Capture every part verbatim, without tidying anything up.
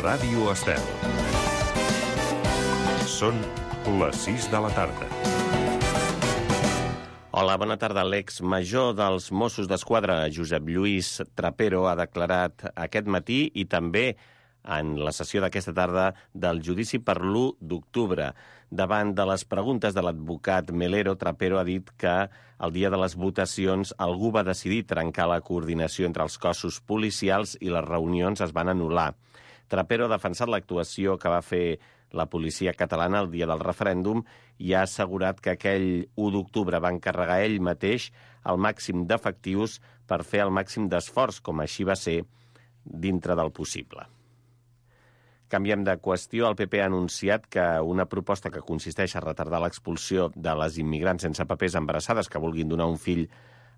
Ràdio Estel. Són les sis de la tarda. Hola, bona tarda. L'ex-major dels Mossos d'Esquadra, Josep Lluís Trapero, ha declarat aquest matí i també en la sessió d'aquesta tarda del judici per l'u d'octubre. Davant de les preguntes de l'advocat Melero, Trapero ha dit que el dia de les votacions algú va decidir trencar la coordinació entre els cossos policials i les reunions es van anul·lar. Trapero ha defensat l'actuació que va fer la policia catalana el dia del referèndum i ha assegurat que aquell u d'octubre va encarregar ell mateix el màxim d'efectius per fer el màxim d'esforç, com així va ser, dintre del possible. Canviem de qüestió. El P P ha anunciat que una proposta que consisteix a retardar l'expulsió de les immigrants sense papers embarassades que vulguin donar un fill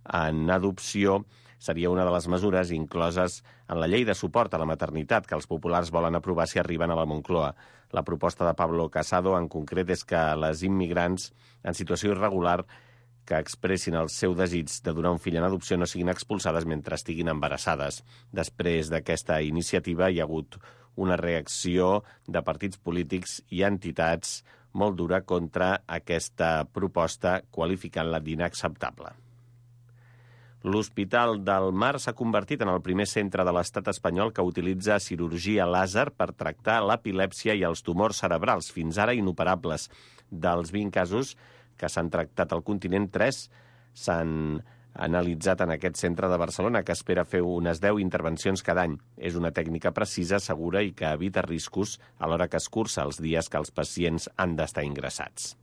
en adopció seria una de les mesures incloses en la llei de suport a la maternitat que els populars volen aprovar si arriben a la Moncloa. La proposta de Pablo Casado, en concret, és que les immigrants en situació irregular que expressin el seu desig de donar un fill en adopció no siguin expulsades mentre estiguin embarassades. Després d'aquesta iniciativa hi ha hagut una reacció de partits polítics i entitats molt dura contra aquesta proposta, qualificant-la d'inacceptable. L'Hospital del Mar s'ha convertit en el primer centre de l'estat espanyol que utilitza cirurgia làser per tractar l'epilèpsia i els tumors cerebrals, fins ara inoperables. Dels vint casos que s'han tractat al continent, tres s'han analitzat en aquest centre de Barcelona, que espera fer unes deu intervencions cada any. És una tècnica precisa, segura i que evita riscos a l'hora que es cursa els dies que els pacients han d'estar ingressats.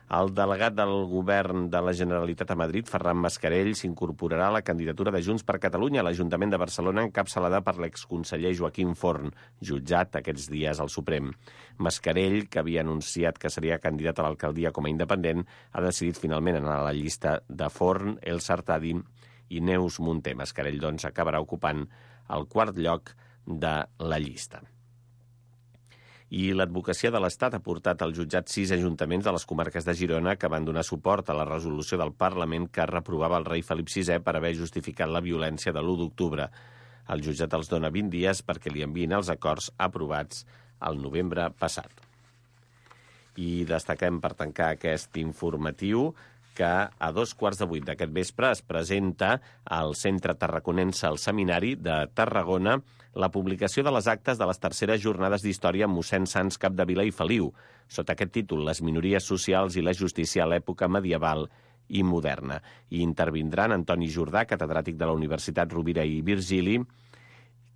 El delegat del govern de la Generalitat a Madrid, Ferran Mascarell, s'incorporarà a la candidatura de Junts per Catalunya a l'Ajuntament de Barcelona, encapçalada per l'exconseller Joaquim Forn, jutjat aquests dies al Suprem. Mascarell, que havia anunciat que seria candidat a l'alcaldia com a independent, ha decidit finalment anar a la llista de Forn, El Sartadi i Neus Munté. Mascarell, doncs, acabarà ocupant el quart lloc de la llista. I l'advocacia de l'Estat ha portat al jutjat sis ajuntaments de les comarques de Girona que van donar suport a la resolució del Parlament que reprovava el rei Felip sisè per haver justificat la violència de l'u d'octubre. El jutjat els dona vint dies perquè li enviïn els acords aprovats el novembre passat. I destaquem per tancar aquest informatiu que a dos quarts de vuit d'aquest vespre es presenta al Centre Tarraconense al Seminari de Tarragona la publicació de les actes de les terceres jornades d'història amb mossèn Sans Capdevila i Feliu, sota aquest títol, Les minories socials i la justícia a l'època medieval i moderna. I intervindran Antoni Jordà, catedràtic de la Universitat Rovira i Virgili,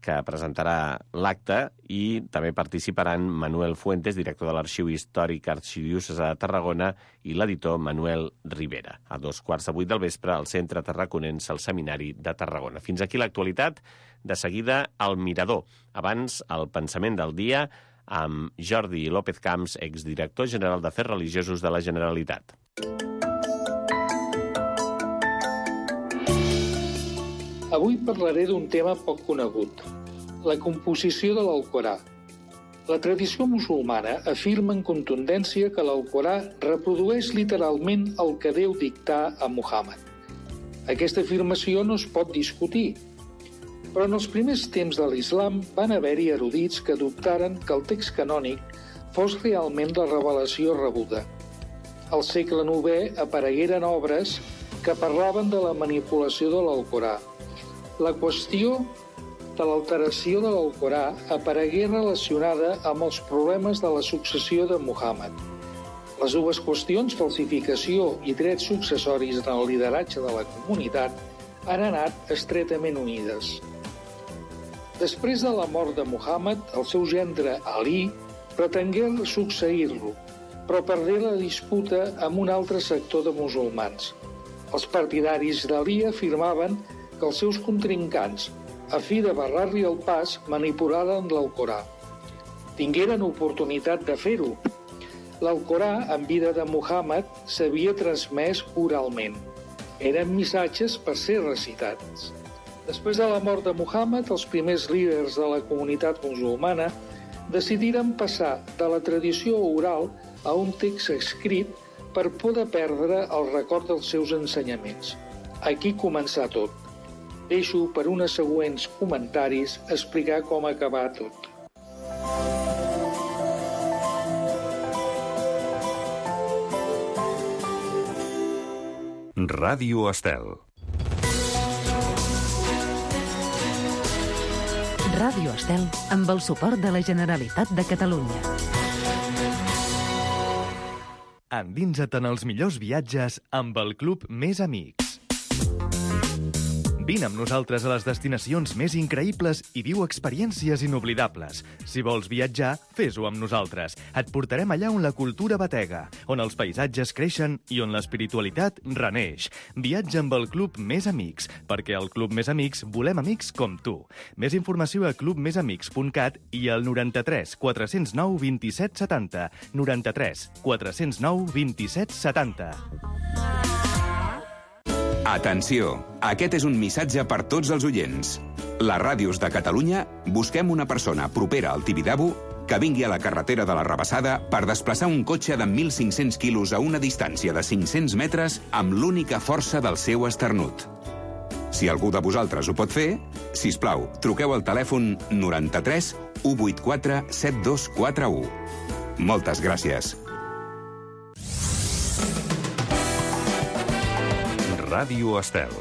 que presentarà l'acte, i també participaran Manuel Fuentes, director de l'Arxiu Històric Arxidiòcesi de Tarragona, i l'editor Manuel Rivera. A dos quarts de vuit del vespre al Centre Tarraconense al Seminari de Tarragona. Fins aquí l'actualitat. De seguida, el Mirador. Abans, el pensament del dia amb Jordi López Camps, exdirector general d'Afers Religiosos de la Generalitat. Avui parlaré d'un tema poc conegut, la composició de l'Alcorà. La tradició musulmana afirma en contundència que l'Alcorà reprodueix literalment el que Déu dictà a Muhammad. Aquesta afirmació no es pot discutir, però en els primers temps de l'islam van haver-hi erudits que dubtaren que el text canònic fos realment la revelació rebuda. Al segle novè aparegueren obres que parlaven de la manipulació de l'Alcorà. La qüestió de l'alteració de l'Alcorà aparegué relacionada amb els problemes de la successió de Muhammad. Les dues qüestions, falsificació i drets successoris en el lideratge de la comunitat, han anat estretament unides. Després de la mort de Muhammad, el seu gendre Ali pretengué succeir-lo, però perdé la disputa amb un altre sector de musulmans. Els partidaris d'Ali afirmaven que els seus contrincants, a fi de barrar-li el pas, manipularen l'Alcorà. Tingueren oportunitat de fer-ho. L'Alcorà, en vida de Muhammad, s'havia transmès oralment. Eren missatges per ser recitats. Després de la mort de Muhammad, els primers líders de la comunitat musulmana decidiren passar de la tradició oral a un text escrit per poder perdre el record dels seus ensenyaments. Aquí començà tot. Deixo per unes següents comentaris explicar com acabar tot. Ràdio Estel. Ràdio Estel amb el suport de la Generalitat de Catalunya. Endinsa't en els millors viatges amb el Club Més Amics. Vine amb nosaltres a les destinacions més increïbles i viu experiències inoblidables. Si vols viatjar, fes-ho amb nosaltres. Et portarem allà on la cultura batega, on els paisatges creixen i on l'espiritualitat reneix. Viatja amb el Club Més Amics, perquè al Club Més Amics volem amics com tu. Més informació a club més amics punt cat i al noranta-tres quatre zero nou vint-i-set setanta. noranta-tres quatre zero nou vint-i-set setanta. Atenció! Aquest és un missatge per tots els oients. Les ràdios de Catalunya busquem una persona propera al Tibidabo que vingui a la carretera de la Rabassada per desplaçar un cotxe de mil cinc-cents quilos a una distància de cinc-cents metres amb l'única força del seu esternut. Si algú de vosaltres ho pot fer, sisplau, truqueu al telèfon noranta-tres u vuitanta-quatre set dos quatre u. Moltes gràcies. Ràdio Estel.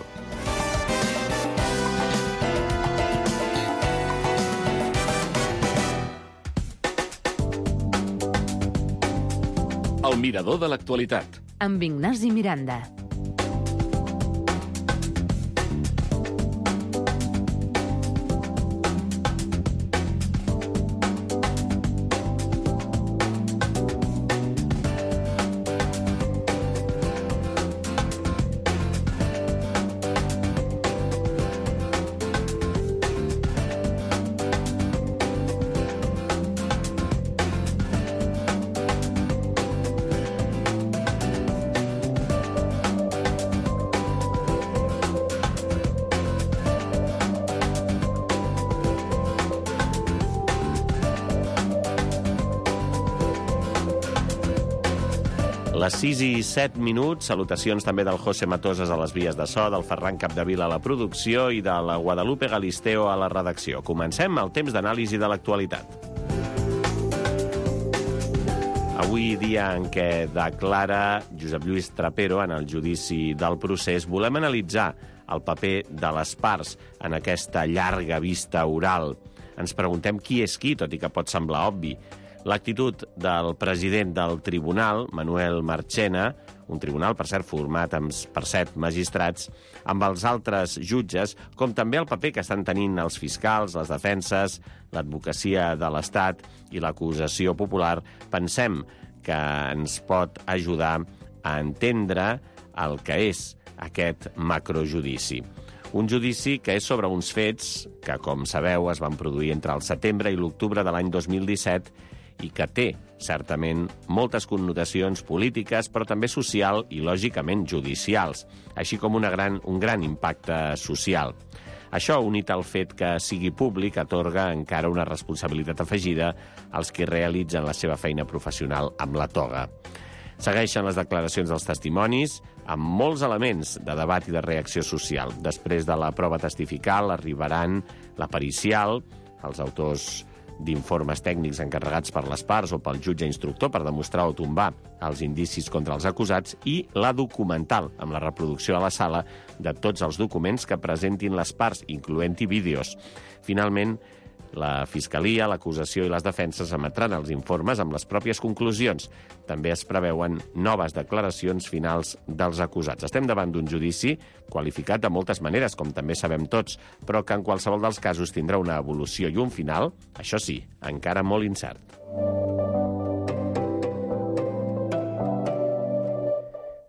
El mirador de l'actualitat. Amb Ignasi Miranda. Les sis i set minuts, salutacions també del José Matosas a les vies de so, del Ferran Capdevila a la producció i de la Guadalupe Galisteo a la redacció. Comencem el temps d'anàlisi de l'actualitat. Avui, dia en què declara Josep Lluís Trapero en el judici del procés, volem analitzar el paper de les parts en aquesta llarga vista oral. Ens preguntem qui és qui, tot i que pot semblar obvi. L'actitud del president del tribunal, Manuel Marchena, un tribunal, per cert, format per set magistrats, amb els altres jutges, com també el paper que estan tenint els fiscals, les defenses, l'advocacia de l'Estat i l'acusació popular, pensem que ens pot ajudar a entendre el que és aquest macrojudici. Un judici que és sobre uns fets que, com sabeu, es van produir entre el setembre i l'octubre de l'any dos mil disset i que té, certament, moltes connotacions polítiques, però també social i, lògicament, judicials, així com una gran, un gran impacte social. Això, unit al fet que sigui públic, atorga encara una responsabilitat afegida als que realitzen la seva feina professional amb la toga. Segueixen les declaracions dels testimonis, amb molts elements de debat i de reacció social. Després de la prova testifical arribaran la pericial, els autors d'informes tècnics encarregats per les parts o pel jutge instructor per demostrar o tombar els indicis contra els acusats, i la documental, amb la reproducció a la sala de tots els documents que presentin les parts, incloent-hi vídeos. Finalment, la Fiscalia, l'acusació i les defenses emetran els informes amb les pròpies conclusions. També es preveuen noves declaracions finals dels acusats. Estem davant d'un judici qualificat de moltes maneres, com també sabem tots, però que en qualsevol dels casos tindrà una evolució i un final, això sí, encara molt incert.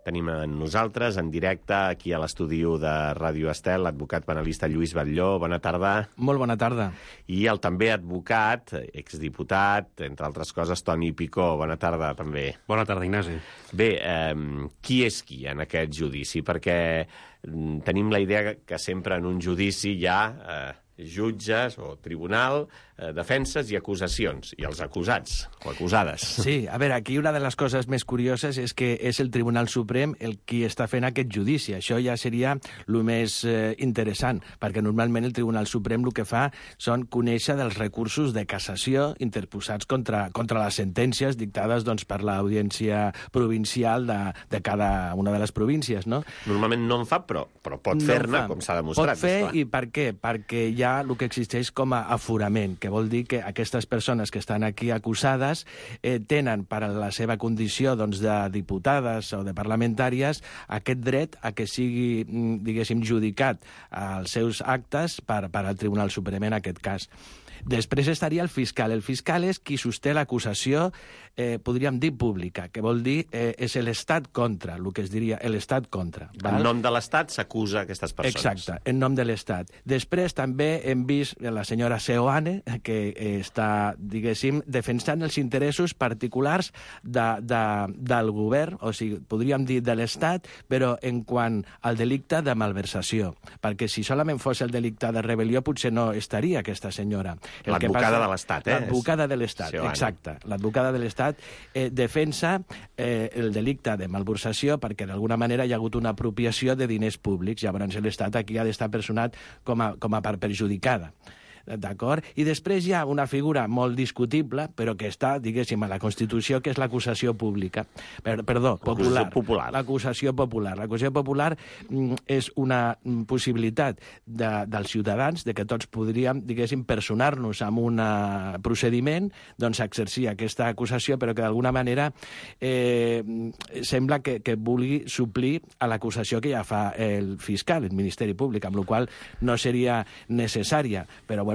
Tenim amb nosaltres, en directe, aquí a l'estudi de Ràdio Estel, l'advocat penalista Lluís Batlló. Bona tarda. Molt bona tarda. I el també advocat, exdiputat, entre altres coses, Toni Picó. Bona tarda, també. Bona tarda, Ignasi. Bé, eh, qui és qui en aquest judici? Perquè tenim la idea que sempre en un judici hi ha eh, jutges o tribunal, eh, defenses i acusacions, i els acusats o acusades. Sí, a veure, aquí una de les coses més curioses és que és el Tribunal Suprem el qui està fent aquest judici. Això ja seria el més eh, interessant, perquè normalment el Tribunal Suprem el que fa són conèixer dels recursos de cassació interposats contra, contra les sentències dictades doncs, per l'audiència provincial de, de cada una de les províncies, no? Normalment no en fa, però, però pot No fer-ne, fa. com s'ha demostrat. Pot fer, esclar. i per què? Perquè hi ha el que existeix com a aforament, que vol dir que aquestes persones que estan aquí acusades eh, tenen per a la seva condició doncs, de diputades o de parlamentàries aquest dret a que sigui, mm, diguéssim, judicat als seus actes per, per al Tribunal Suprem en aquest cas. Després estaria el fiscal. El fiscal és qui sosté l'acusació, eh, podríem dir, pública, que vol dir eh, és l'estat contra, el que es diria l'estat contra. Val? En nom de l'Estat s'acusa aquestes persones. Exacte, en nom de l'Estat. Després també hem vist la senyora Seoane, que eh, està, diguéssim, defensant els interessos particulars de, de, del govern, o sigui, podríem dir de l'Estat, però en quant al delicte de malversació. Perquè si solament fos el delicte de rebel·lió, potser no estaria aquesta senyora. L'advocada de l'Estat, eh? L'advocada de l'Estat, Seoane. exacte. L'advocada de l'Estat eh, defensa eh, el delicte de malversació perquè d'alguna manera hi ha hagut una apropiació de diners públics. Llavors l'Estat aquí ha d'estar personat com a, com a part perjudicada. D'acord? I després hi ha una figura molt discutible, però que està, diguéssim, a la Constitució, que és l'acusació pública. Per, perdó, popular. popular. L'acusació popular. L'acusació popular mm, és una mm, possibilitat de, dels ciutadans de que tots podríem, diguéssim, personar-nos en un procediment, doncs exercir aquesta acusació, però que d'alguna manera eh, sembla que, que vulgui suplir a l'acusació que ja fa el fiscal, el Ministeri Públic, amb la qual no seria necessària, però bueno,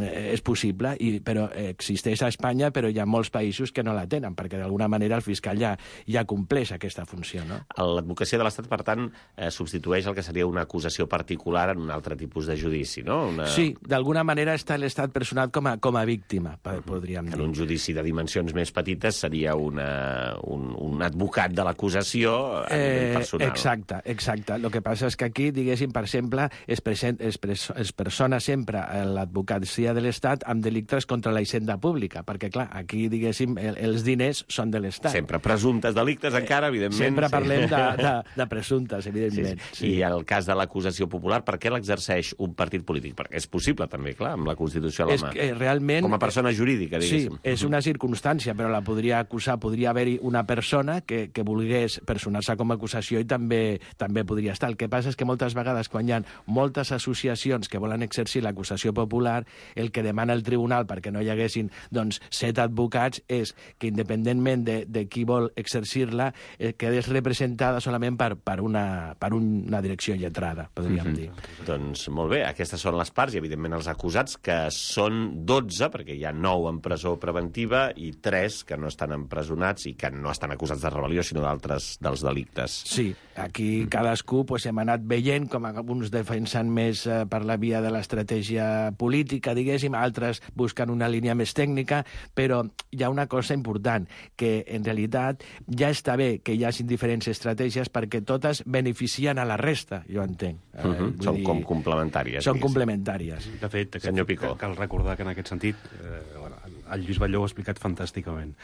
és possible, i, però existeix a Espanya, però hi ha molts països que no la tenen, perquè d'alguna manera el fiscal ja, ja compleix aquesta funció, no? L'advocacia de l'Estat, per tant, eh, substitueix el que seria una acusació particular en un altre tipus de judici, no? Una... Sí, d'alguna manera està l'Estat personat com a, com a víctima, podríem dir. En un judici de dimensions més petites seria una, un, un advocat de l'acusació a eh, nivell personal. Exacte, exacte. El que passa és que aquí, diguéssim, per exemple, es, present, es, pres, es persona sempre l'advocat advocacia de l'Estat amb delictes contra la hisenda pública, perquè, clar, aquí, diguéssim, el, els diners són de l'Estat. Sempre presumptes delictes, encara, evidentment. Sempre sí. parlem de, de, de presumptes, evidentment. Sí, sí. Sí. I el cas de l'acusació popular, per què l'exerceix un partit polític? Perquè és possible, també, clar, amb la Constitució a la mà. És que, realment... Com a persona jurídica, diguéssim. Sí, és una circumstància, però la podria acusar, podria haver-hi una persona que, que volgués personar-se com a acusació i també, també podria estar. El que passa és que moltes vegades, quan hi ha moltes associacions que volen exercir l'acusació popular, el que demana el tribunal perquè no hi haguessin doncs, set advocats és que, independentment de, de qui vol exercir-la, eh, quedés representada solament per, per, una, per una direcció lletrada, podríem mm-hmm. dir. Doncs molt bé, aquestes són les parts i, evidentment, els acusats, que són dotze, perquè hi ha nou en presó preventiva i tres que no estan empresonats i que no estan acusats de rebel·lió, sinó d'altres dels delictes. Sí, aquí cadascú pues, hem anat veient com alguns defensen més eh, per la via de l'estratègia política, diguéssim, altres busquen una línia més tècnica, però hi ha una cosa important, que en realitat ja està bé que hi hagi diferents estratègies perquè totes beneficien a la resta, jo entenc. Uh -huh. Són dir, com complementàries. Són complementàries. De fet, aquest, senyor Picó. Cal recordar que en aquest sentit, eh, bueno, el Lluís Batlló ho ha explicat fantàsticament,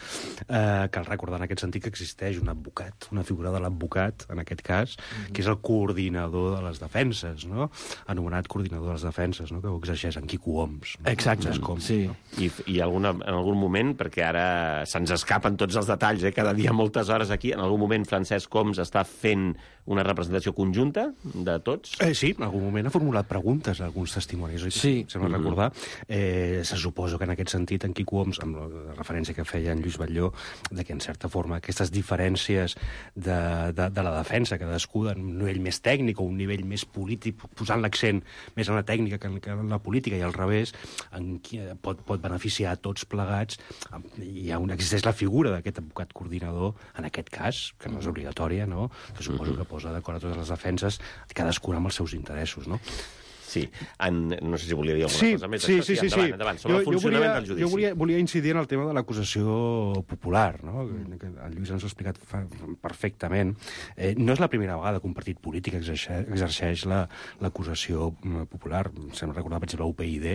eh, cal recordar en aquest sentit que existeix un advocat, una figura de l'advocat, en aquest cas, mm-hmm. que és el coordinador de les defenses, no? Anomenat coordinador de les defenses, no? Que ho exerceix en Quico Homs. No? Exacte, Com, sí. No? I, i alguna, en algun moment, perquè ara se'ns escapen tots els detalls, eh? Cada dia moltes hores aquí, en algun moment Francesc Homs està fent una representació conjunta de tots? Eh, sí, en algun moment ha formulat preguntes a alguns testimonis, oi? Sí. Sembla mm-hmm. recordar. Eh, se suposo que en aquest sentit en Quico Homs, amb la referència que feia en Lluís Batlló, de que en certa forma aquestes diferències de, de, de la defensa, cadascú en un nivell més tècnic o un nivell més polític, posant l'accent més en la tècnica que en, que en la política i al revés, en qui pot, pot beneficiar a tots plegats. Hi ha un, existeix la figura d'aquest advocat coordinador, en aquest cas, que no és obligatòria, no? Que suposo que posa d'acord a totes les defenses, cadascuna amb els seus interessos, no? Sí, en, no sé si volia dir alguna sí, cosa més. Sí, això, sí, sí, endavant, sí. endavant, sobre jo, el funcionament jo volia, del judici. Jo volia, volia incidir en el tema de l'acusació popular, no? Mm. El Lluís ens ho ha explicat fa, perfectament. Eh, no és la primera vegada que un partit polític exerceix, exerceix l'acusació la, popular. Sembla recordar, per exemple, U P y D.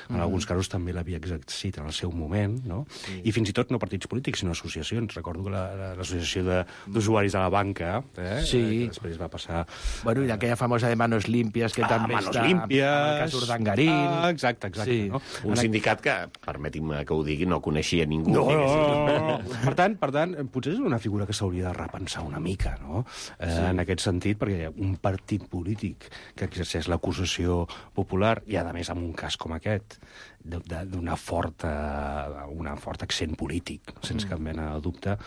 En mm. alguns casos també l'havia exercit en el seu moment, no? Sí. I fins i tot no partits polítics, sinó associacions. Recordo que l'associació la, d'usuaris de la banca, eh, sí. que després va passar... Bueno, i aquella famosa de Manos Limpias, que ah, també Manos està Limpias. amb el cas Urdangarín. Ah, exacte, exacte. Sí. No? Un sindicat que, permeti'm que ho digui, no coneixia ningú. No, no, no, no. Per tant, per tant, potser és una figura que s'hauria de repensar una mica, no? Eh, sí. En aquest sentit, perquè un partit polític que exerceix l'acusació popular, i a més amb un cas com aquest, d'una forta, una forta accent polític, sense cap mena de dubte,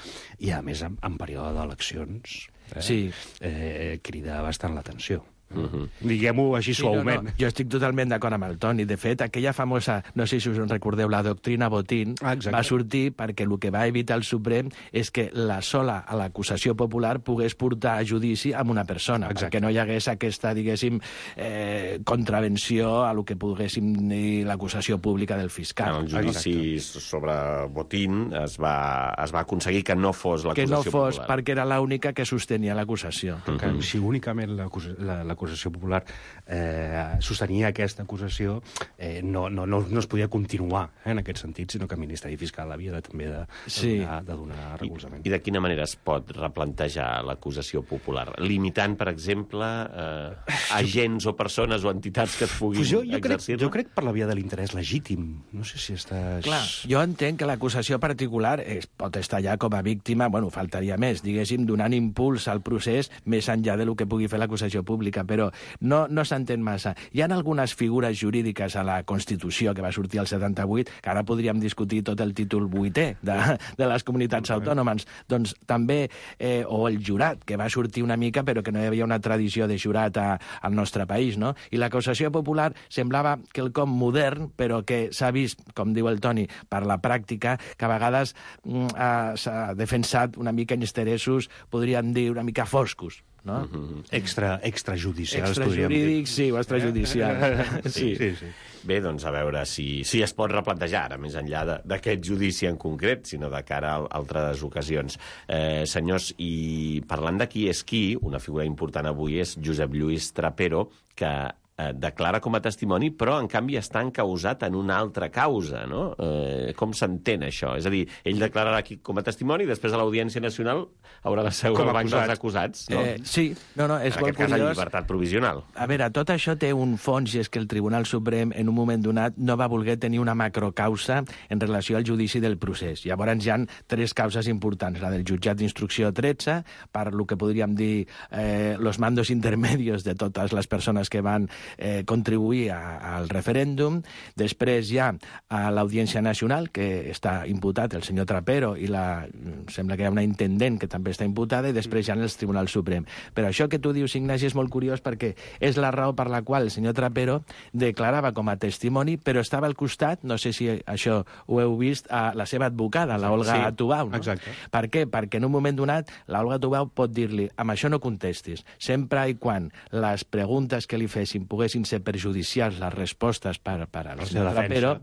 i a més en, en període d'eleccions, eh, sí. eh, crida bastant l'atenció. Uh-huh. Diguem-ho així sí, suaument. No, no. Jo estic totalment d'acord amb el Toni. De fet, aquella famosa, no sé si us en recordeu, la doctrina Botín, ah, va sortir perquè el que va evitar el Suprem és que la sola a l'acusació popular pogués portar a judici amb una persona, exacte. Perquè no hi hagués aquesta, diguéssim, eh, contravenció a lo que poguéssim dir l'acusació pública del fiscal. En el judici exacte. Sobre Botín es va, es va aconseguir que no fos l'acusació popular. Que no fos, popular. Perquè era l'única que sostenia l'acusació. Uh-huh. Que, si únicament l'acusació la, l'acusació popular eh, sostenia aquesta acusació, eh, no, no, no, no es podia continuar eh, en aquest sentit, sinó que el Ministeri Fiscal havia de, també de, de, sí. donar, de donar recolzament. I, I de quina manera es pot replantejar l'acusació popular? Limitant, per exemple, eh, agents o persones o entitats que et puguin pues jo, jo exercir-la? Crec, jo crec per la via de l'interès legítim. No sé si estàs... Clar, jo entenc que l'acusació particular es pot estar ja com a víctima, bueno, faltaria més, diguéssim, donant impuls al procés més enllà de lo que pugui fer l'acusació pública, però no, no s'entén massa. Hi ha algunes figures jurídiques a la Constitució que va sortir al setanta-vuit, que ara podríem discutir tot el títol vuitè de, de les comunitats autònomes, doncs també, eh, o el jurat, que va sortir una mica, però que no hi havia una tradició de jurat a, al nostre país, no? I l'acusació popular semblava quelcom modern, però que s'ha vist, com diu el Toni, per la pràctica, que a vegades mm, s'ha defensat una mica en interessos, podríem dir, una mica foscos. No? Uh-huh. Extra, extrajudicials, extrajurídics, sí, o extrajudicials. sí. Sí, sí. Bé, doncs a veure si, si es pot replantejar, ara, més enllà d'aquest judici en concret, sinó de cara a altres ocasions. Eh, senyors, i parlant de qui és qui, una figura important avui és Josep Lluís Trapero, que eh, declara com a testimoni, però en canvi està encausat en una altra causa, no? Eh, com s'entén això? És a dir, ell declararà aquí com a testimoni i després a l'Audiència Nacional haurà de seure al banc dels acusats, no? Eh, sí, no, no, és en molt aquest cas, curiós. en llibertat provisional. A veure, tot això té un fons, i és que el Tribunal Suprem, en un moment donat, no va voler tenir una macrocausa en relació al judici del procés. Llavors hi ha tres causes importants, la del jutjat d'instrucció tretze, per lo que podríem dir eh, los mandos intermedios de totes les persones que van eh, contribuir a, al referèndum. Després hi ha a l'Audiència Nacional, que està imputat el senyor Trapero, i la, sembla que hi ha una intendent que també està imputada, i després hi ha el Tribunal Suprem. Però això que tu dius, Ignasi, és molt curiós perquè és la raó per la qual el senyor Trapero declarava com a testimoni, però estava al costat, no sé si això ho heu vist, a la seva advocada, la Olga sí, Tubau. No? Exacte. Per què? Perquè en un moment donat la Olga Tubau pot dir-li, amb això no contestis, sempre i quan les preguntes que li fessin poguessin ser perjudicials, les respostes per, per al senyor Trapero,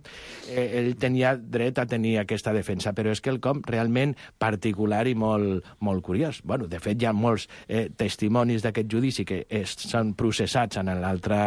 eh, ell tenia dret a tenir aquesta defensa, però és que el com realment particular i molt, molt curiós. Bueno, de fet, hi ha molts eh, testimonis d'aquest judici que es, són processats en l'altre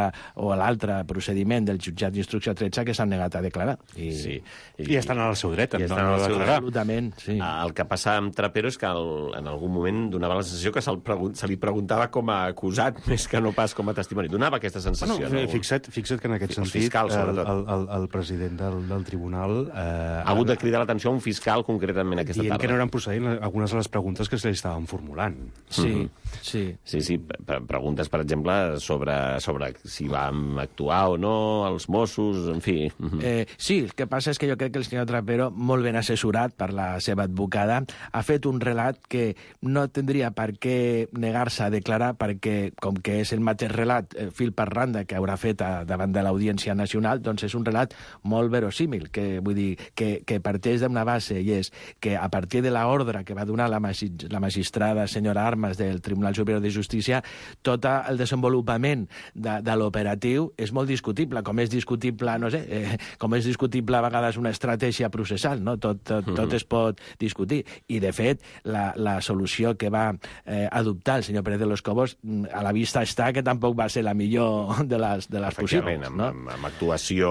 o l'altre procediment del jutjat d'instrucció tretze que s'han negat a declarar. I, sí. I, I estan al seu dret. I estan al seu dret. Absolutament, sí. El que passa amb Trapero és que el, en algun moment donava la sensació que se, pregun se li preguntava com a acusat més que no pas com a testimoni. Donava aquesta sensació. Bueno, no? fixa't, fixa't que en aquest sentit fiscal, el, el, el, el president del, del tribunal eh, ha hagut de cridar l'atenció a un fiscal concretament aquesta dient tarda. que no eren procedents algunes de les preguntes que se li estaven formulant. Sí, mm -hmm. sí. Sí, sí, preguntes, per exemple, sobre, sobre si vam actuar o no, els Mossos, en fi. Mm -hmm. eh, sí, el que passa és que jo crec que el senyor Trapero, molt ben assessorat per la seva advocada, ha fet un relat que no tindria per què negar-se a declarar, perquè, com que és el mateix relat, eh, fil per randa, banda que haurà fet a, davant de l'Audiència Nacional, doncs és un relat molt verosímil, que vull dir que, que parteix d'una base, i és que a partir de l'ordre que va donar la, magi la magistrada senyora Armas del Tribunal Superior de Justícia, tot el desenvolupament de, de l'operatiu és molt discutible, com és discutible, no sé, eh, com és discutible a vegades una estratègia processal, no? Tot, tot, tot es pot discutir. I, de fet, la, la solució que va eh, adoptar el senyor Pérez de los Cobos, a la vista està que tampoc va ser la millor de les, de les possibles. Amb, no? amb, amb actuació,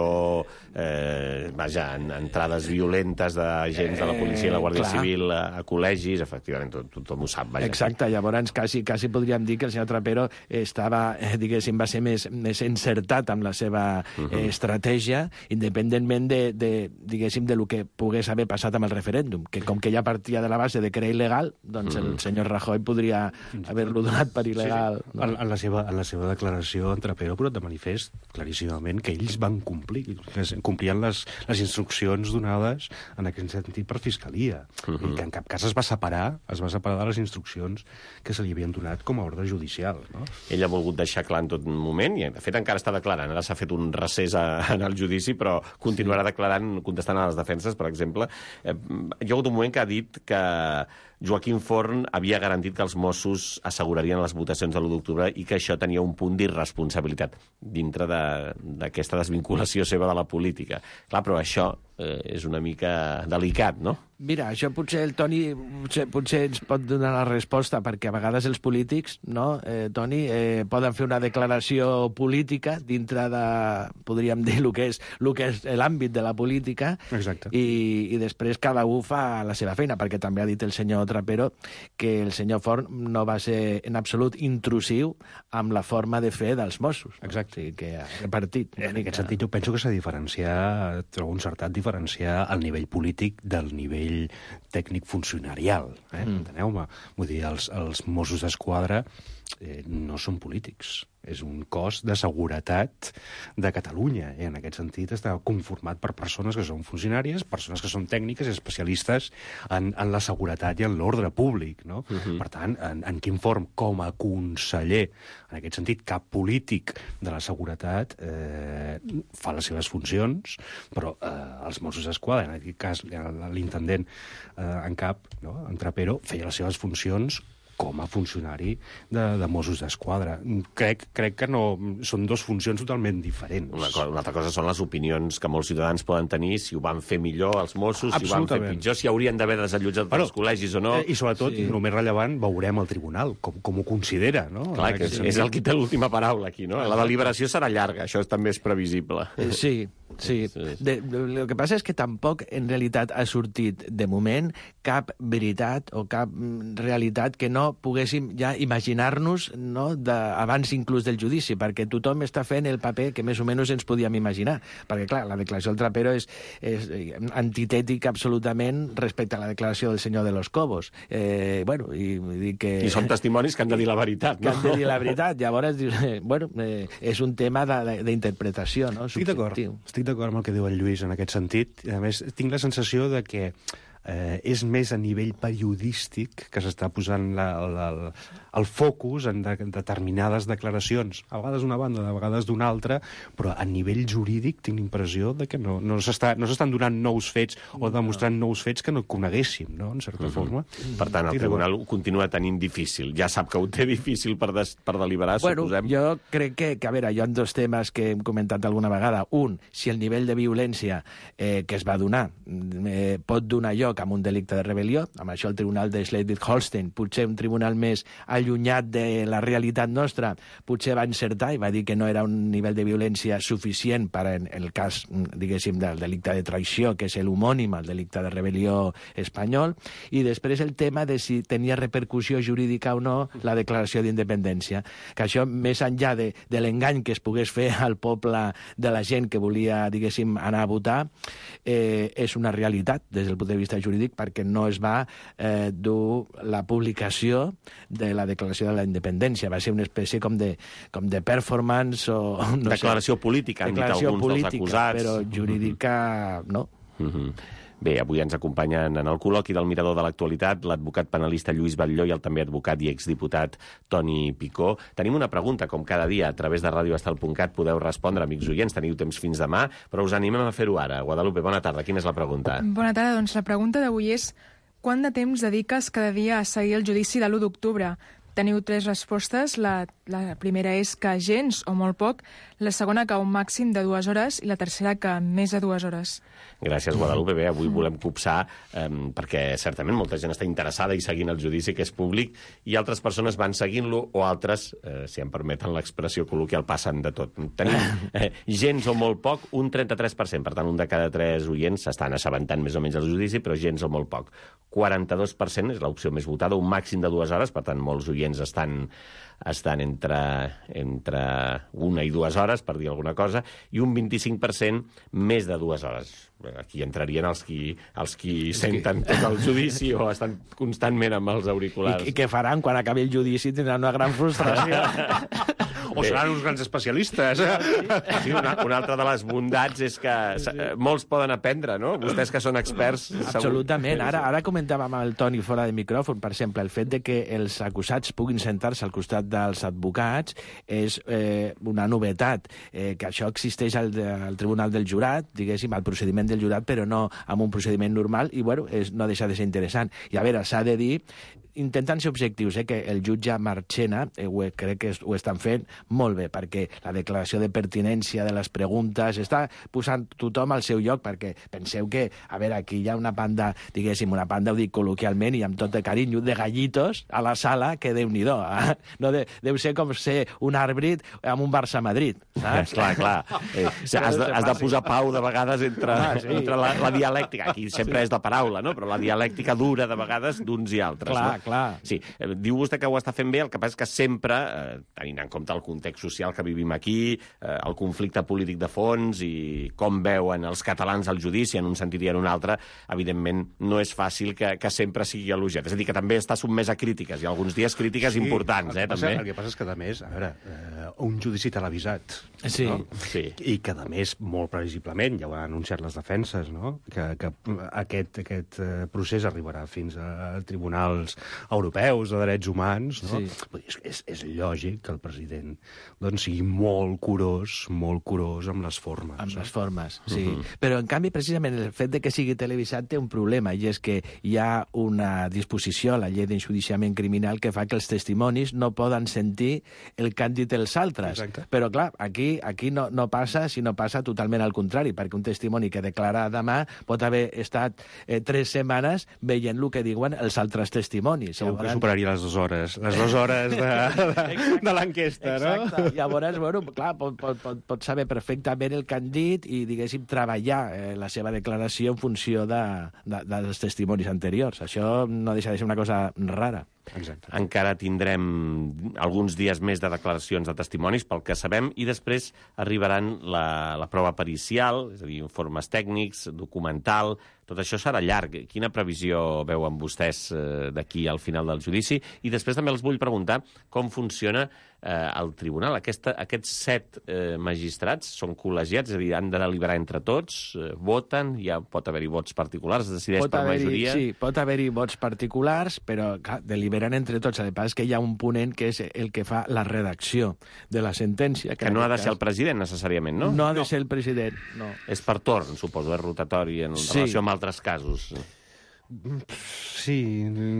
eh, vaja, en entrades violentes d'agents de la policia i la Guàrdia Clar. Civil a, a col·legis, efectivament, tot, tothom ho sap, vaja. Exacte, llavors quasi, quasi podríem dir que el senyor Trapero estava, eh, diguéssim, va ser més, més encertat amb la seva eh, uh-huh. estratègia, independentment de, de, diguéssim, de lo que pogués haver passat amb el referèndum, que com que ja partia de la base de que era il·legal, doncs uh-huh. el senyor Rajoy podria haver-lo donat per il·legal. Sí, sí. No? En, en, la seva, en la seva declaració, en Trapero ha posat de manifest claríssimament que ells van complir, que complien les, les instruccions donades en aquest sentit per Fiscalia, uh-huh. i que en cap cas es va separar, es va separar de les instruccions que se li havien donat com a ordre judicial. No? Ell ha volgut deixar clar en tot moment, i de fet encara està declarant. Ara s'ha fet un recés a, en el judici, però continuarà sí. declarant, contestant a les defenses, per exemple. Eh, hi ha hagut un moment que ha dit que Joaquim Forn havia garantit que els Mossos assegurarien les votacions de l'u d'octubre i que això tenia un punt d'irresponsabilitat dintre d'aquesta de, desvinculació seva de la política. Clar, però això eh, és una mica delicat, no? Mira, això potser el Toni potser, potser ens pot donar la resposta, perquè a vegades els polítics, no, eh, Toni, eh, poden fer una declaració política dintre de, podríem dir, el que és el que és l'àmbit de la política. Exacte. I, i després cada un fa la seva feina, perquè també ha dit el senyor Trapero que el senyor Forn no va ser en absolut intrusiu amb la forma de fer dels Mossos. Exacte. O sigui, que ha repartit. En aquest sentit, jo penso que s'ha de diferenciar, trobo encertat diferenciar el nivell polític del nivell tècnic funcionarial. Eh? Mm. Enteneu-me? Vull dir, els, els Mossos d'Esquadra eh, no són polítics. És un cos de seguretat de Catalunya. I en aquest sentit està conformat per persones que són funcionàries, persones que són tècniques i especialistes en, en la seguretat i en l'ordre públic. No? Uh-huh. Per tant, en, en quin form, com a conseller, en aquest sentit, cap polític de la seguretat eh, fa les seves funcions, però eh, els Mossos d'Esquadra, en aquest cas l'intendent eh, en cap, no? en Trapero, feia les seves funcions com a funcionari de, de Mossos d'Esquadra. Crec, crec que no, són dues funcions totalment diferents. Una, cosa, una altra cosa són les opinions que molts ciutadans poden tenir, si ho van fer millor els Mossos, si ho van fer pitjor, si haurien d'haver desallotjat bueno, els col·legis o no. Eh, I sobretot, sí. el més rellevant, veurem el tribunal, com, com ho considera. No? Clar, que és, és el que té l'última paraula aquí, no? La deliberació serà llarga, això també és previsible. Eh, sí, sí. De, de, el que passa és que tampoc, en realitat, ha sortit, de moment, cap veritat o cap realitat que no poguéssim ja imaginar-nos, no, de, abans inclús del judici, perquè tothom està fent el paper que més o menys ens podíem imaginar. Perquè, clar, la declaració del Trapero és, és antitètica absolutament respecte a la declaració del senyor de los Cobos. Eh, bueno, i, i, que... I són testimonis que han de dir la veritat, no? Que han de dir la veritat. Llavors, eh, bueno, eh, és un tema d'interpretació, no? Estic d'acord. Estic d'acord amb el que diu el Lluís en aquest sentit. A més, tinc la sensació de que eh, és més a nivell periodístic que s'està posant la, la, la, el focus en de, determinades declaracions, a vegades d'una banda, a vegades d'una altra, però a nivell jurídic tinc l'impressió de que no, no s'estan no donant nous fets o demostrant nous fets que no coneguéssim, no?, en certa uh-huh. forma. Per tant, el tribunal ho continua tenint difícil. Ja sap que ho té difícil per, des, per deliberar, bueno, suposem. Jo crec que, que, a veure, hi ha dos temes que hem comentat alguna vegada. Un, si el nivell de violència eh, que es va donar eh, pot donar lloc a un delicte de rebel·lió, amb això el tribunal de Schleswig-Holstein, potser un tribunal més allunyat de la realitat nostra, potser va encertar i va dir que no era un nivell de violència suficient per en el cas, diguéssim, del delicte de traïció, que és l'homònim al delicte de rebel·lió espanyol, i després el tema de si tenia repercussió jurídica o no la declaració d'independència, que això, més enllà de, de l'engany que es pogués fer al poble de la gent que volia, diguéssim, anar a votar, eh, és una realitat des del punt de vista jurídic, perquè no es va eh, dur la publicació de la declaració de la independència. Va ser una espècie com de, com de performance o... No declaració sé, política, han declaració dit alguns política, dels acusats. Però jurídica, no. Uh-huh. Bé, avui ens acompanyen en el col·loqui del Mirador de l'Actualitat l'advocat penalista Lluís Batlló i el també advocat i exdiputat Toni Picó. Tenim una pregunta, com cada dia, a través de radio estel punt cat podeu respondre, amics oients, teniu temps fins demà, però us animem a fer-ho ara. Guadalupe, bona tarda, quina és la pregunta? Bona tarda, doncs la pregunta d'avui és: quant de temps dediques cada dia a seguir el judici de l'u d'octubre? Teniu tres respostes. La, la primera és que gens o molt poc, la segona que un màxim de dues hores i la tercera que més de dues hores. Gràcies, Guadalupe. Bé, avui volem copsar eh, perquè certament molta gent està interessada i seguint el judici, que és públic, i altres persones van seguint-lo o altres, eh, si em permeten l'expressió col·loquial, passen de tot. Tenim eh, gens o molt poc, un trenta-tres per cent. Per tant, un de cada tres oients s'estan assabentant més o menys del judici, però gens o molt poc. quaranta-dos per cent és l'opció més votada, un màxim de dues hores, per tant, molts oients estan, estan entre, entre una i dues hores, per dir alguna cosa, i un vint-i-cinc per cent més de dues hores. Aquí entrarien els qui, els qui senten tot el judici o estan constantment amb els auriculars. I, i què faran quan acabi el judici? Tindran una gran frustració. O seran uns grans especialistes. Sí, una, una altra de les bondats és que molts poden aprendre, no? Vostès que són experts... Absolutament. Ara, ara comentàvem amb el Toni fora de micròfon, per exemple, el fet de que els acusats puguin sentar-se al costat dels advocats és eh, una novetat. Eh, que això existeix al, al Tribunal del Jurat, diguéssim, al procediment del jurat, però no amb un procediment normal, i bueno, és, no deixa de ser interessant. I a veure, s'ha de dir, intentant ser objectius, eh, que el jutge Marchena, eh, ho, crec que ho estan fent molt bé, perquè la declaració de pertinència de les preguntes està posant tothom al seu lloc, perquè penseu que, a veure, aquí hi ha una banda, diguéssim, una banda, ho dic col·loquialment i amb tot de carinyo, de gallitos a la sala, que déu-n'hi-do. Eh? No de, deu ser com ser un àrbit amb un Barça-Madrid, saps? Clar, clar. Eh, has, de, has de posar pau de vegades entre, ah, sí. entre la, la dialèctica. Aquí sempre sí. és de paraula, no? Però la dialèctica dura de vegades d'uns i altres. Clar, no? clar. Sí, eh, diu vostè que ho està fent bé, el que passa és que sempre, eh, tenint en compte el context social que vivim aquí, eh, el conflicte polític de fons i com veuen els catalans el judici en un sentit i en un altre, evidentment no és fàcil que, que sempre sigui elogiat. És a dir, que també està sotmès a crítiques, i alguns dies crítiques sí, importants, eh, passa, també. El que passa és que, a més, a veure, eh, un judici televisat, sí. no? Sí. I que, a més, molt previsiblement, ja ho han anunciat les defenses, no? que, que aquest, aquest procés arribarà fins a tribunals europeus de drets humans, no? Sí. És, és, és lògic que el president doncs, sigui molt curós, molt curós amb les formes. Amb no? les formes, sí. Uh-huh. Però, en canvi, precisament, el fet de que sigui televisat té un problema, i és que hi ha una disposició a la llei d'enjudiciament criminal que fa que els testimonis no poden sentir el que han dit els altres. Exacte. Però, clar, aquí, aquí no, no passa, sinó passa totalment al contrari, perquè un testimoni que declara demà pot haver estat eh, tres setmanes veient el que diuen els altres testimonis. Segur que superaria les dues hores, les dues hores de, de, de l'enquesta, no? Exacte. Llavors, bueno, clar, pot, pot, pot, pot saber perfectament el que han dit i, diguéssim, treballar eh, la seva declaració en funció de, de, dels testimonis anteriors. Això no deixa de ser una cosa rara. Exacte. Encara tindrem alguns dies més de declaracions de testimonis, pel que sabem, i després arribaran la, la prova pericial, és a dir, informes tècnics, documental. Tot això serà llarg. Quina previsió veuen vostès eh, d'aquí al final del judici? I després també els vull preguntar com funciona eh, el tribunal. Aquesta, aquests set eh, magistrats són col·legiats, és a dir, han de deliberar entre tots, eh, voten, ja pot haver-hi vots particulars, es decideix pot per majoria. Sí, pot haver-hi vots particulars, però clar, deliberen entre tots. El que passa és que hi ha un ponent que és el que fa la redacció de la sentència. Que, que no ha de ser cas... el president, necessàriament, no? No ha de no. ser el president, no. És per torn, suposo, és rotatori en sí. relació amb altres casos. Sí.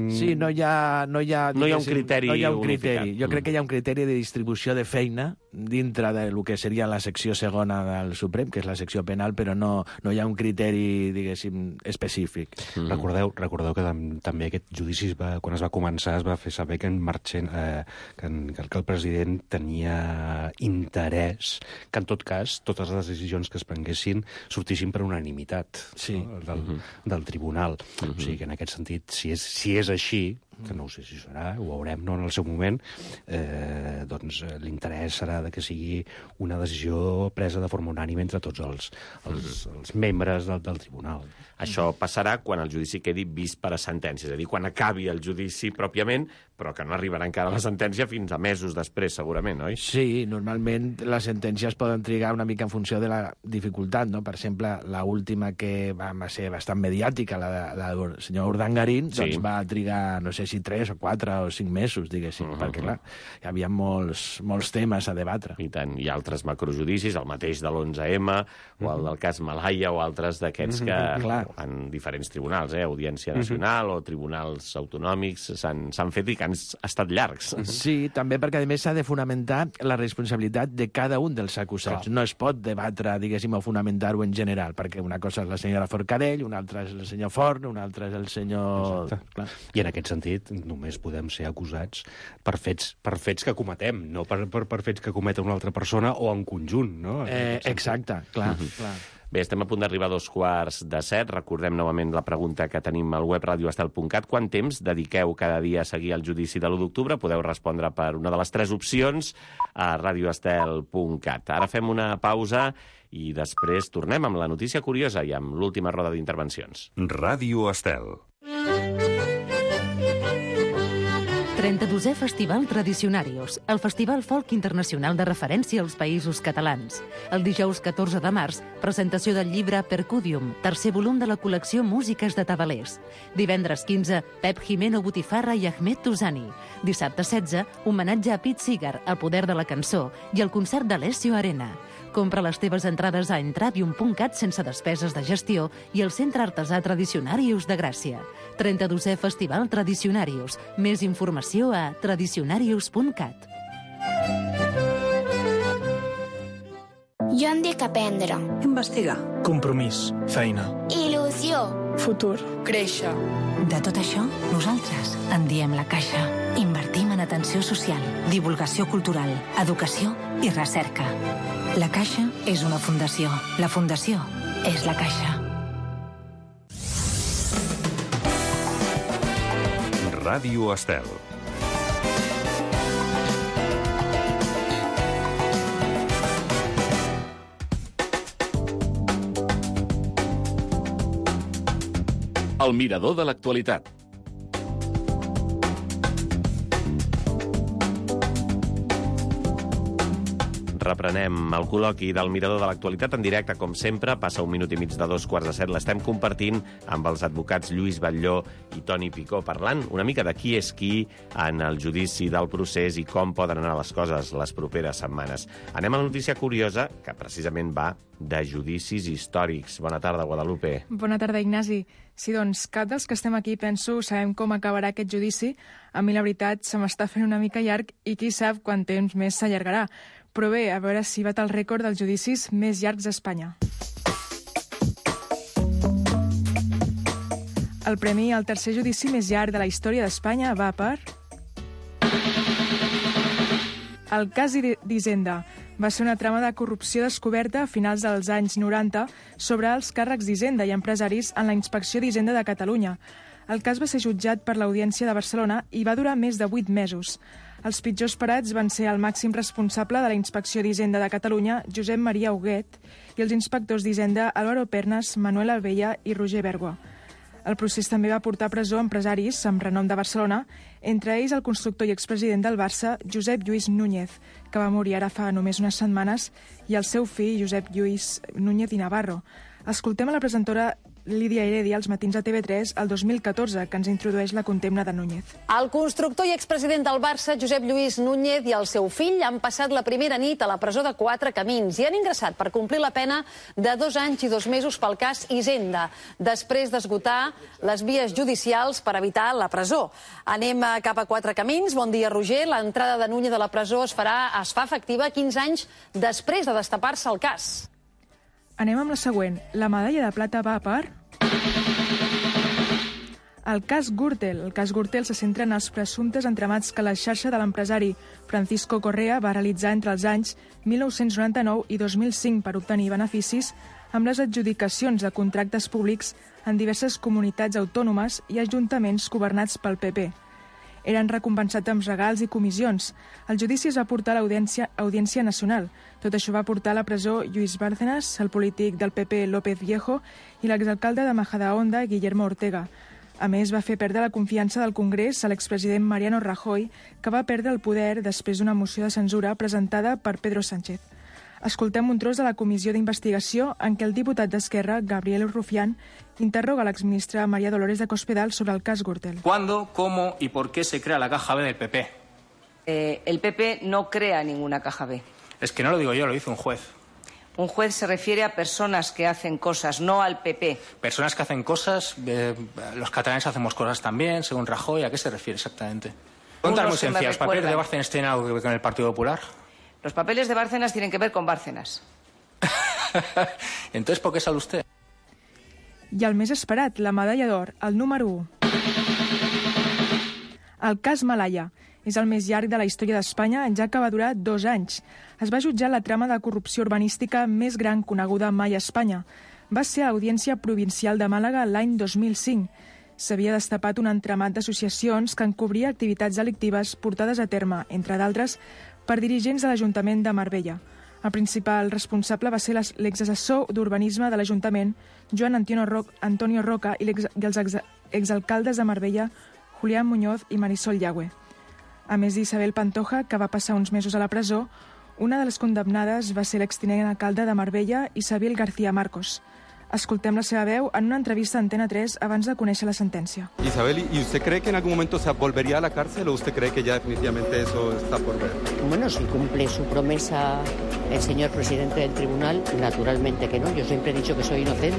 Sí, no hi ha... No hi ha, no hi ha un criteri no hi ha un criteri. unificat. Jo crec que hi ha un criteri de distribució de feina dintre del que seria la secció segona del Suprem, que és la secció penal, però no, no hi ha un criteri, diguéssim, específic. Mm. Recordeu, recordeu que també aquest judici, va, quan es va començar, es va fer saber que en Marchena, eh, que, en, que el president tenia interès que, en tot cas, totes les decisions que es prenguessin sortissin per unanimitat sí. no? del, mm -hmm. del tribunal. Mm -hmm. O sigui que, en aquest sentit, si és, si és així, que no ho sé si serà, ho veurem no, en el seu moment, eh, doncs l'interès serà de que sigui una decisió presa de forma unànime entre tots els, els, els membres del, del tribunal. Això passarà quan el judici quedi vist per a sentència, és a dir, quan acabi el judici pròpiament, però que no arribarà encara la sentència fins a mesos després, segurament, oi? Sí, normalment les sentències poden trigar una mica en funció de la dificultat, no? Per exemple, l'última que va ser bastant mediàtica, la, la del senyor Urdangarín, sí. doncs va trigar, no sé si tres o quatre o cinc mesos, diguéssim, uh -huh. perquè, clar, hi havia molts, molts temes a debatre. I tant, hi ha altres macrojudicis, el mateix de l'onze eme, o el del cas Malaya, o altres d'aquests uh -huh. que... Clar. En diferents tribunals, eh? Audiència Nacional uh-huh. o tribunals autonòmics, s'han fet i que han estat llargs. Sí, també perquè, a més, s'ha de fonamentar la responsabilitat de cada un dels acusats. Clar. No es pot debatre, diguéssim, o fonamentar-ho en general, perquè una cosa és la senyora Forcadell, una altra és el senyor Forn, una altra és el senyor... Clar. I en aquest sentit, només podem ser acusats per fets, per fets que cometem, no per, per, per fets que cometa una altra persona o en conjunt, no? Eh, exacte, clar, uh-huh. clar. Bé, estem a punt d'arribar a dos quarts de set. Recordem novament la pregunta que tenim al web radio estel punt cat. Quant temps dediqueu cada dia a seguir el judici de l'u d'octubre? Podeu respondre per una de les tres opcions a radio estel punt cat. Ara fem una pausa i després tornem amb la notícia curiosa i amb l'última roda d'intervencions. Ràdio Estel. trenta-dosè Festival Tradicionarius, el festival folk internacional de referència als països catalans. El dijous catorze de març, presentació del llibre Percudium, tercer volum de la col·lecció Músiques de Tabalers. Divendres quinze, Pep Jimeno Botifarra i Ahmed Touzani. Dissabte setze, homenatge a Pete Seeger, el poder de la cançó, i el concert d'Alessio Arena. Compra les teves entrades a entravium punt cat sense despeses de gestió i al Centre Artesà Tradicionarius de Gràcia. trenta-dosè Festival Tradicionarius. Més informació a tradicionarius punt cat. Jo em dic aprendre. Investigar. Compromís. Feina. Il·lusió. Futur. Créixer. De tot això, nosaltres en diem la Caixa. Invertim en atenció social, divulgació cultural, educació i recerca. La Caixa és una fundació. La fundació és la Caixa. Ràdio Estel. El mirador de l'actualitat. Reprenem el col·loqui del Mirador de l'Actualitat en directe, com sempre. Passa un minut i mig de dos quarts de set. L'estem compartint amb els advocats Lluís Batlló i Toni Picó, parlant una mica de qui és qui en el judici del procés i com poden anar les coses les properes setmanes. Anem a la notícia curiosa, que precisament va de judicis històrics. Bona tarda, Guadalupe. Bona tarda, Ignasi. Sí, doncs, cap dels que estem aquí, penso, sabem com acabarà aquest judici. A mi, la veritat, se m'està fent una mica llarg i qui sap quant temps més s'allargarà. Però bé, a veure si bat el rècord dels judicis més llargs d'Espanya. El premi al tercer judici més llarg de la història d'Espanya va per... El cas d'Hisenda. Va ser una trama de corrupció descoberta a finals dels anys noranta sobre els càrrecs d'Hisenda i empresaris en la Inspecció d'Hisenda de Catalunya. El cas va ser jutjat per l'Audiència de Barcelona i va durar més de vuit mesos. Els pitjors parats van ser el màxim responsable de la Inspecció d'Hisenda de Catalunya, Josep Maria Huguet, i els inspectors d'Hisenda Álvaro Pernas, Manuel Albella i Roger Bergua. El procés també va portar a presó empresaris amb renom de Barcelona, entre ells el constructor i expresident del Barça, Josep Lluís Núñez, que va morir ara fa només unes setmanes, i el seu fill, Josep Lluís Núñez i Navarro. Escoltem a la presentadora Lídia Heredia als matins de T V tres el dos mil catorze, que ens introdueix la condemna de Núñez. El constructor i expresident del Barça, Josep Lluís Núñez, i el seu fill han passat la primera nit a la presó de Quatre Camins i han ingressat per complir la pena de dos anys i dos mesos pel cas Hisenda, després d'esgotar les vies judicials per evitar la presó. Anem cap a Quatre Camins. Bon dia, Roger. L'entrada de Núñez a la presó es farà, es fa efectiva quinze anys després de destapar-se el cas. Anem amb la següent. La medalla de plata va per... El cas Gürtel. El cas Gürtel se centra en els presumptes entramats que la xarxa de l'empresari Francisco Correa va realitzar entre els anys mil nou-cents noranta-nou i dos mil cinc per obtenir beneficis amb les adjudicacions de contractes públics en diverses comunitats autònomes i ajuntaments governats pel P P. eren recompensats amb regals i comissions. El judici es va portar a l'Audiència Audiència Nacional. Tot això va portar a la presó Lluís Bárcenas, el polític del P P López Viejo i l'exalcalde de Majadahonda, Guillermo Ortega. A més, va fer perdre la confiança del Congrés a l'expresident Mariano Rajoy, que va perdre el poder després d'una moció de censura presentada per Pedro Sánchez. Escoltem un tros de la comissió d'investigació en què el diputat d'Esquerra, Gabriel Rufián, interroga a l'exministra María Dolores de Cospedal sobre el cas Gürtel. ¿Cuándo, cómo y por qué se crea la caja B del P P? Eh, el P P no crea ninguna caja B. Es que no lo digo yo, lo dice un juez. Un juez se refiere a personas que hacen cosas, no al P P. Personas que hacen cosas, eh, los catalanes hacemos cosas también, según Rajoy. ¿A qué se refiere exactamente? Pregunta muy sencilla. ¿Los papeles de Bárcenas tienen algo que ver con el Partido Popular? Los papeles de Bárcenas tienen que ver con Bárcenas. Entonces, ¿por qué sale usted? I el més esperat, la medalla d'or, el número u. El cas Malaya és el més llarg de la història d'Espanya, ja que va durar dos anys. Es va jutjar la trama de corrupció urbanística més gran coneguda mai a Espanya. Va ser a l'Audiència Provincial de Màlaga l'any dos mil cinc. S'havia destapat un entramat d'associacions que encobria activitats delictives portades a terme, entre d'altres, per dirigents de l'Ajuntament de Marbella. El principal responsable va ser l'exassessor d'urbanisme de l'Ajuntament, Joan Antonio Roca, i els exalcaldes de Marbella, Julián Muñoz i Marisol Llagüe. A més d'Isabel Pantoja, que va passar uns mesos a la presó, una de les condemnades va ser l'extinent alcalde de Marbella, Isabel García Marcos. Escoltem la seva veu en una entrevista a Antena tres abans de conèixer la sentència. Isabel, ¿y usted cree que en algún momento se volvería a la cárcel o usted cree que ya definitivamente eso está por ver? Bueno, si cumple su promesa el señor presidente del tribunal, naturalmente que no. Yo siempre he dicho que soy inocente.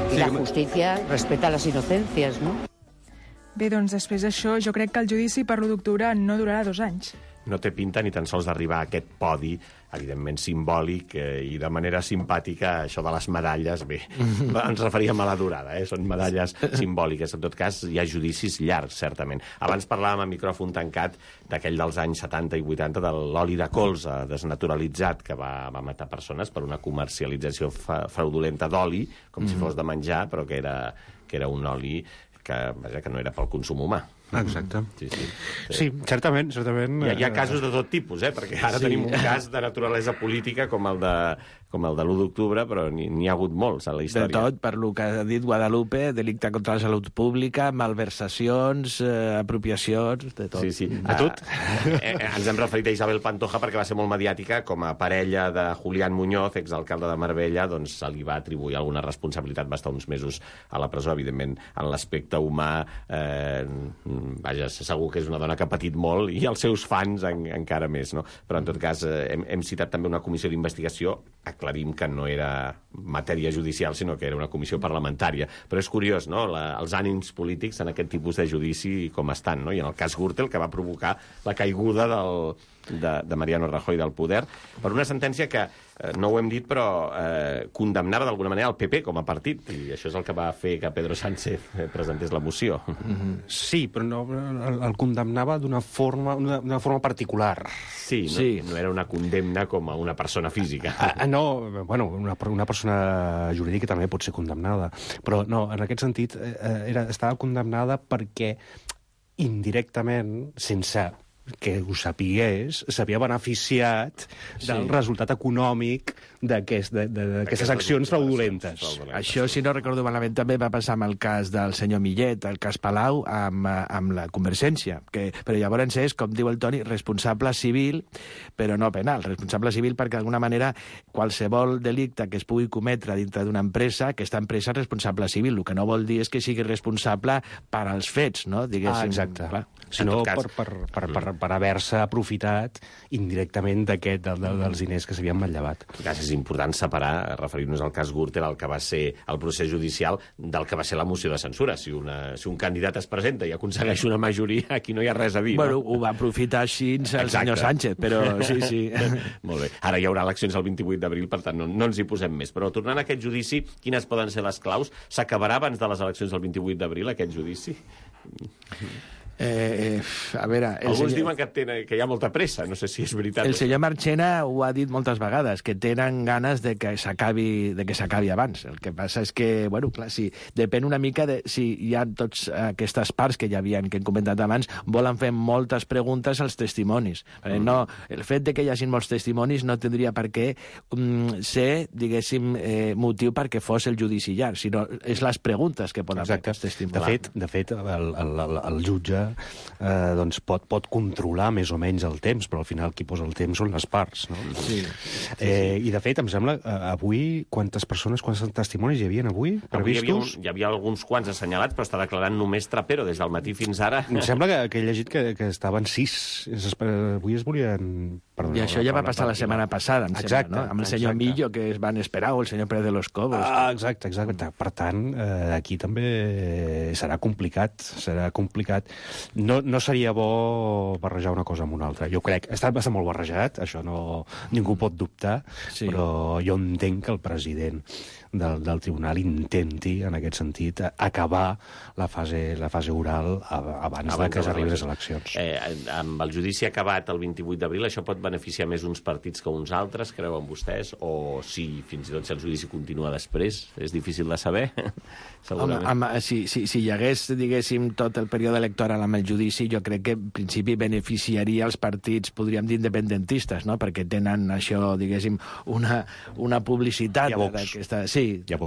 Y sí, la justicia respeta las inocencias, ¿no? Bé, doncs després d'això, jo crec que el judici per l'u d'octubre no durarà dos anys. No té pinta ni tan sols d'arribar a aquest podi, evidentment simbòlic, eh, i de manera simpàtica, això de les medalles, bé, ens referíem a la durada, eh? Són medalles simbòliques. En tot cas, hi ha judicis llargs, certament. Abans parlàvem a micròfon tancat d'aquell dels anys setanta i vuitanta, de l'oli de colza desnaturalitzat que va, va matar persones per una comercialització fa, fraudulenta d'oli, com mm. si fos de menjar, però que era, que era un oli que, vaja, que no era pel consum humà. Exacte. Sí, sí. Sí, sí certament, certament... Hi ha, hi ha casos de tot tipus, eh? Perquè ara sí. tenim un cas de naturalesa política com el de, com el de l'u d'octubre, però n'hi ha hagut molts a la història. De tot, per lo que ha dit Guadalupe, delicte contra la salut pública, malversacions, eh, apropiacions, de tot. Sí, sí. A tot. Eh, eh, ens hem referit a Isabel Pantoja perquè va ser molt mediàtica com a parella de Julián Muñoz, exalcalde de Marbella, doncs se li va atribuir alguna responsabilitat, va estar uns mesos a la presó, evidentment, en l'aspecte humà, eh, vaja, segur que és una dona que ha patit molt i els seus fans en, encara més, no? Però en tot cas eh, hem, hem citat també una comissió d'investigació, aclarim que no era matèria judicial, sinó que era una comissió parlamentària. Però és curiós, no?, la, els ànims polítics en aquest tipus de judici com estan, no? I en el cas Gürtel, que va provocar la caiguda del, de, de Mariano Rajoy del poder, per una sentència que, eh, no ho hem dit, però eh, condemnava d'alguna manera el P P com a partit, i això és el que va fer que Pedro Sánchez eh, presentés la moció. Mm-hmm. Sí, però no, el, el condemnava d'una forma, una forma particular. Sí, no, sí, no era una condemna com a una persona física. Ah, no, bueno, una, una persona jurídica també pot ser condemnada, però no, en aquest sentit eh, era, estava condemnada perquè indirectament, sense que ho sapigués, s'havia beneficiat del sí. resultat econòmic d'aquestes aquest, accions fraudulentes. Això, si no recordo malament, també va passar amb el cas del senyor Millet, el cas Palau, amb, amb la Convergència. Que, però llavors és, com diu el Toni, responsable civil, però no penal. Responsable civil perquè, d'alguna manera, qualsevol delicte que es pugui cometre dintre d'una empresa, aquesta empresa és responsable civil. El que no vol dir és que sigui responsable per als fets, no? Diguéssim, ah, exacte. Clar. Sinó per, per, per, per, per haver-se aprofitat indirectament d'aquest, de, de, dels diners que s'havien manllevat. És important separar, referir-nos al cas Gürtel, el que va ser el procés judicial, del que va ser la moció de censura. Si, una, si un candidat es presenta i aconsegueix una majoria, aquí no hi ha res a dir. Bueno, no? Ho va aprofitar així el Exacte. senyor Sánchez, però sí, sí. Molt bé. Ara hi haurà eleccions el vint-i-vuit d'abril, per tant, no, no ens hi posem més. Però tornant a aquest judici, quines poden ser les claus? S'acabarà abans de les eleccions del vint-i-vuit d'abril, aquest judici? Eh, eh, a veure... Alguns senyor... diuen que, tenen, que hi ha molta pressa, no sé si és veritat. El senyor Marchena ho ha dit moltes vegades, que tenen ganes de que s'acabi de que s'acabi abans. El que passa és que, bueno, clar, sí, depèn una mica de si hi ha tots aquestes parts que ja havien, que hem comentat abans, volen fer moltes preguntes als testimonis. Mm. No, el fet de que hi hagi molts testimonis no tindria per què um, ser, diguéssim, eh, motiu perquè fos el judici llarg, sinó és les preguntes que poden fer els testimonis. De fet, de fet el, el, el, el jutge eh, doncs pot, pot controlar més o menys el temps, però al final qui posa el temps són les parts, no? Sí. Eh, I, de fet, em sembla, eh, avui, quantes persones, quants testimonis hi havia avui previstos? Avui hi havia, un, hi havia alguns quants assenyalats, però està declarant només Trapero des del matí fins ara. Em sembla que, que he llegit que, que estaven sis. Avui es volien... Perdona, I això ja va passar la setmana passada, em exacte, sembla, no? Amb el senyor exacte. Millo, que es van esperar, o el senyor Pérez de los Cobos. Ah, exacte, exacte. Per tant, eh, aquí també serà complicat, serà complicat. No, no seria bo barrejar una cosa amb una altra. Jo crec, està bastant molt barrejat, això no, ningú pot dubtar, sí. Però jo entenc que el president del, del tribunal intenti, en aquest sentit, acabar la fase, la fase oral abans, abans de que s'arribin les eleccions. Eh, amb el judici acabat el vint-i-vuit d'abril, això pot beneficiar més uns partits que uns altres, creuen vostès? O si fins i tot si el judici continua després? És difícil de saber, segurament. Home, amb, si, si, si hi hagués, diguéssim, tot el període electoral amb el judici, jo crec que en principi beneficiaria els partits, podríem dir, independentistes, no? Perquè tenen això, diguéssim, una, una publicitat d'aquesta... Sí,